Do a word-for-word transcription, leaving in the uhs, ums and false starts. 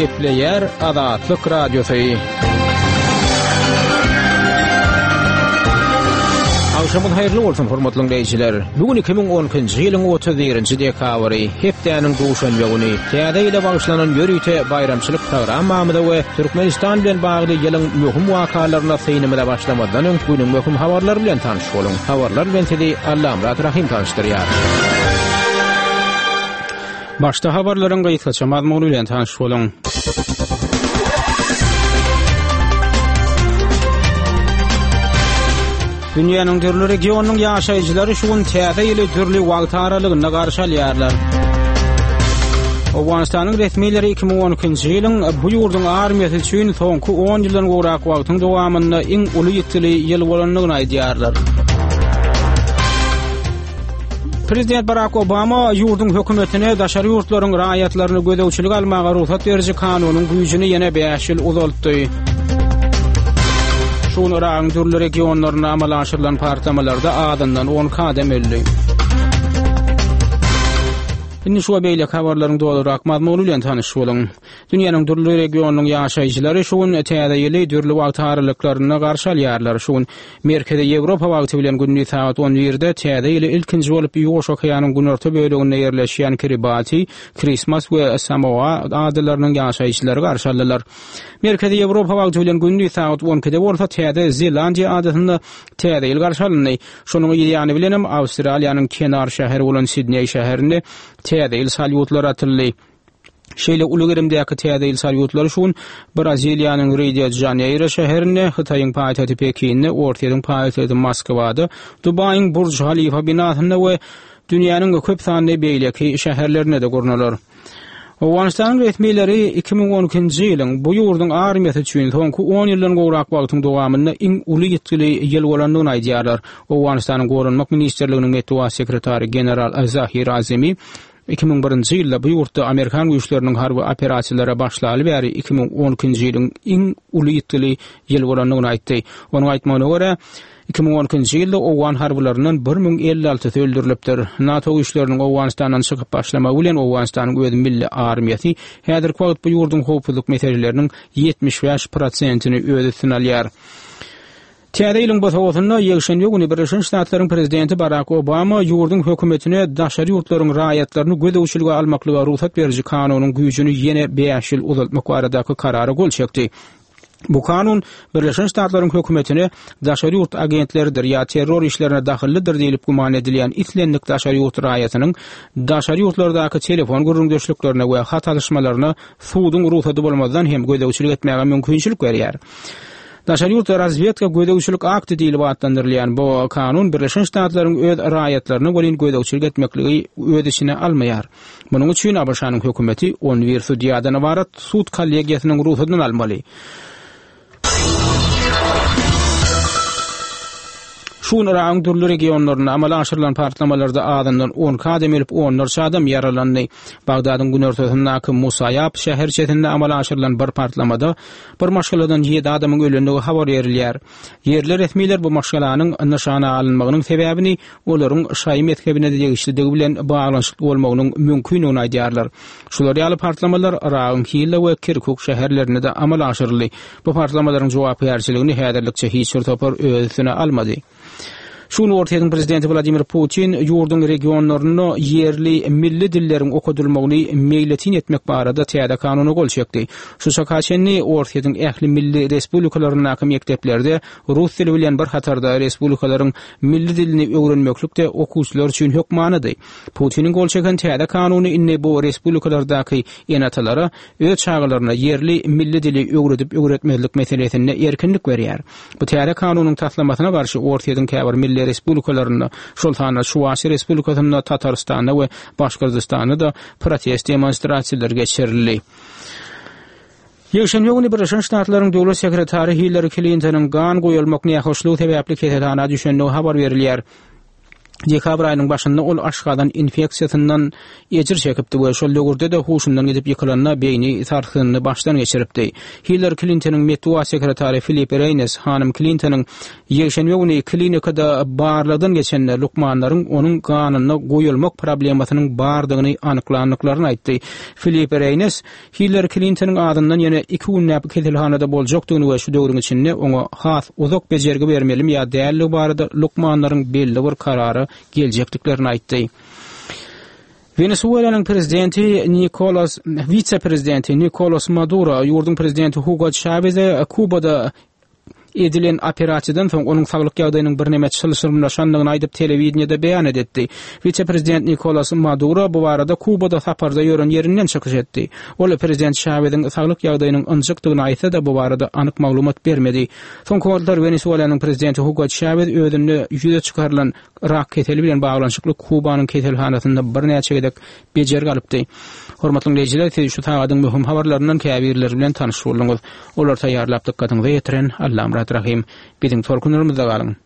Gepleýär Azatlyk Radiosy. Agşamyňyz haýyrly bolsun, hormatly diňleýjiler. Bu gün iki müň on ikinji ýylyň otuz birinji dekabry, hepdäniň duşenbe güni. Täze ýyla bagyşlanan ýörite baýramçylyk programmamyza we Türkmenistan bilen bagly ýylyň möhüm wakalaryna synymyza başlamazdan öň günüň möhüm habarlary bilen tanyş boluň. Habarlar bilen sizi Allamyrat Rahym tanyşdyrýar. Başda habarlaryň gysgaça mazmuny bilen tanyş boluň. Dünýäniň dürli regionynyň ýaşaýjylary şu gün täze ýyly dürli wagt aralygynda garşy alýarlar. Owganystanyň resmileri iki müň on ikinji ýylyň bu ýurduň armiýasy üçin soňky on ýyldan gowrak wagtyň dowamynda iň uly ýitgili ýyl bolandygyny aýdýarlar. Prezident Barack Obama ýurduň hökümetine daşary ýurtlaryň raýatlaryny gözegçilik almaga rugsat beriji kanunyň güýjüni ýene bäş ýyl uzaltdy. Şu gün Yragyň dürli regionlarynda amala aşyrylan partlamalarda azyndan on iki adam öldi. Indi şu we beýleki habarlaryň dolurak mazmuny bilen tanyş boluň. Dünýäniň dürli regionynyň ýaşaýjylary şu gün täze ýyly dürli wagt aralyklarynda garşy alýarlar. Şu gün Merkezi Ýewropa wagty bilen gündiz sagat on birde täze ýyly ilkinji bolup Ýuwaş okeanyň günorta böleginde ýerleşýän Kiribati, Krismas we Samoa adalarynyň ýaşaýjylary garşy aldylar. Merkezi Ýewropa wagty bilen gündiz sagat on ikide bolsa Täze Zelandiýa adasynda täze ýyl garşy alyndy. Şonuň ýany bilenem Awstraliýanyň kenar şäheri bolan Sidneý şäherinde täze ýyl salýutlary atyldy. Şeýle uly gerimdäki täze ýyl salýutlary şu gün Braziliýanyň Rio de Janeiro şäherinde, Hytaýyň paýtagty Pekinde, Orsýetiň paýtagty Moskwada, Dubaýyň Burj Halifa binasynda we dünýäniň köp sanly beýleki şäherlerinde-de gurnalar. Owganystanyň resmileri iki müň on ikinji ýylyň bu ýurduň armiýasy üçin soňky on ýyldan gowrak wagtyň dowamynda iň uly ýitgili ýyl bolandygyny aýdýarlar. Owganystanyň Goranmak ministrliginiň metbugat sekretary general Zahir Azimi iki müň birinji ýylda bu ýurtda Amerikan güýçleriniň harby operasiýalara başlaly bäri iki müň on ikinji ýylyň iň uly ýitgili ýyl bolandygyny aýtdy. Onuň aýtmagyna görä, iki müň on ikinji ýylda owgan harbylaryndan bir müň elli altysy öldürilipdir. NATO güýçleriniň Owganystandan çykyp başlamagy bilen Owganystanyň öz milli armiýasy häzirki wagt bu ýurduň howpsuzlyk meseleleriniň ýetmiş bäş prosentini öz üstüne alýar. Täze ýylyň bosagасynda ýekşenbe güni Birleşen Ştatlaryň prezidenti Barack Obama ýurduň hökümetine daşary ýurtlaryň raýatlaryny gözegçilige almaklyga rugsat beriji kanunyň güýjüni ýene bäş ýyl uzaltmak baradaky karara gol çekdi. Bu kanun Birleşen Ştatlaryň hökümetine daşary ýurt agentleridir ýa terror işlerine dahyllydyr diýlip güman edilýän islendik daşary ýurt raýatynyň daşary ýurtlardaky telefon gürrüňdeşliklerine we hat alyşmalaryna suduň rugsady bolmazdan hem gözegçilik etmäge mümkinçilik berýär. Daşary ýurt razwedka gözegçilik akty diýlip atlandyrylýan bu kanun Birleşen Ştatlaryň öz raýatlaryna welin gözegçilik etmekligi öz içine almaýar. Munuň üçin A B Ş-nyň hökümeti on bir sudýadan ybarat sud kollegiýasynyň rugsadyny almaly. Şu gün Yragyň dürli regionlarynda amala aşyrylan partlamalarda azyndan on iki adam ölüp, onlarça adam ýaralandy. Bagdadyň günortasyndaky Musaýab şäherçesinde amala aşyrylan bir partlamada bir maşgaladan ýedi adamyň ölendigi habar berilýär. Ýerli resmiler bu maşgalanyň nyşana alynmagynyň sebäbini olaryň şaýy mezhebine degişlidigi bilen baglanyşykly bolmagynyň mümkindigini aýdýarlar. Şular ýaly partlamalar Yragyň Hilla we Kirkuk şäherlerinde-de amala aşyryldy. Bu partlamalaryň jogapkärçiligini häzirlikçe hiç bir topar öz üstüne almady. Şu gün Orsýetiň prezidenti Wladimir Putin ýurduň regionlarynda ýerli milli dilleriň okadylmagyny meýletin etmek barada täze kanuna gol çekdi. Şu çaka çenli Orsýetiň ähli milli respublikalaryndaky mekdeplerde rus dili bilen bir hatarda respublikalaryň milli dilini öwrenmeklik-de okuwçylar üçin hökmanydy. Putiniň gol çeken täze kanuny indi bu respublikalardaky ene-atalara öz çagalaryna ýerli milli dili öwredip öwretmezlik meselesinde erkinlik berýär. Bu täze kanunyň taslamasyna garşy Orsýetiň käbir milli respublikalarynda, şol sanda Çuwaş Respublikasynda, Tatarystanda we Başgyrdystanda da protest demonstrasiýalary geçirildi. Ýekşenbe güni Birleşen Ştatlaryň döwlet sekretary Hillary Clintonyň gan goýulmak nähoşlugy sebäpli keselhana düşendigi habar berilýär. Dekabr aýynyň başynda ol aşgazan infeksiýasyndan ejir çekipdi we şol döwürde-de huşundan gidip ýykylanda beýni sarsgynyny başdan geçiripdi. Hillari Klintonyň metbugat sekretary Filip Reýnes hanym Klintonyň ýekşenbe güni klinikada barlagdan geçende lukmanlaryň onuň ganynda goýalmak problemasynyň bardygyny anyklandyklaryny aýtdy. Filip Reýnes Hillari Klintonyň azyndan ýene iki günläp keselhanada boljakdygyny we şu döwrüň içinde oňa has uzak bejergi bermelimi ýa däldigi barada lukmanlaryň belli bir karara geljekdiklerini aýtdy. Wenesuelanyň prezidenti Nikolas wise-prezidenti Nikolas Maduro ýurduň prezidenti Hugo Çaweze Kubada edilen operasiýadan soň onuň saglyk ýagdaýynyň birneme çylşyrymlaşandygyny aýdyp telewideniýede beýan edetdi. Wise-prezident Nikolas Maduro bu barada Kubada saparda ýören ýerinden çykyş etdi. Ol prezident Çaweziň saglyk ýagdaýynyň ynjykdygyny aýtsa-da bu barada anyk maglumat bermedi. Soňky wagtlar Wenesuelanyň prezidenti Hugo Çawez özünde ýüze çykarylan rak keseli bilen baglanyşykly Kubanyň keselhanasynda birnäçe gezek bejergi alypdy. Hormatly diňleýjiler, siz şu sagadyň möhüm habarlaryndan käbirleri bilen tanyş bolduňyz. Olary taýýarlap dykgatyňyza ýetiren Allamyrat Rahym. Biziň tolkunlarymyzda galyň.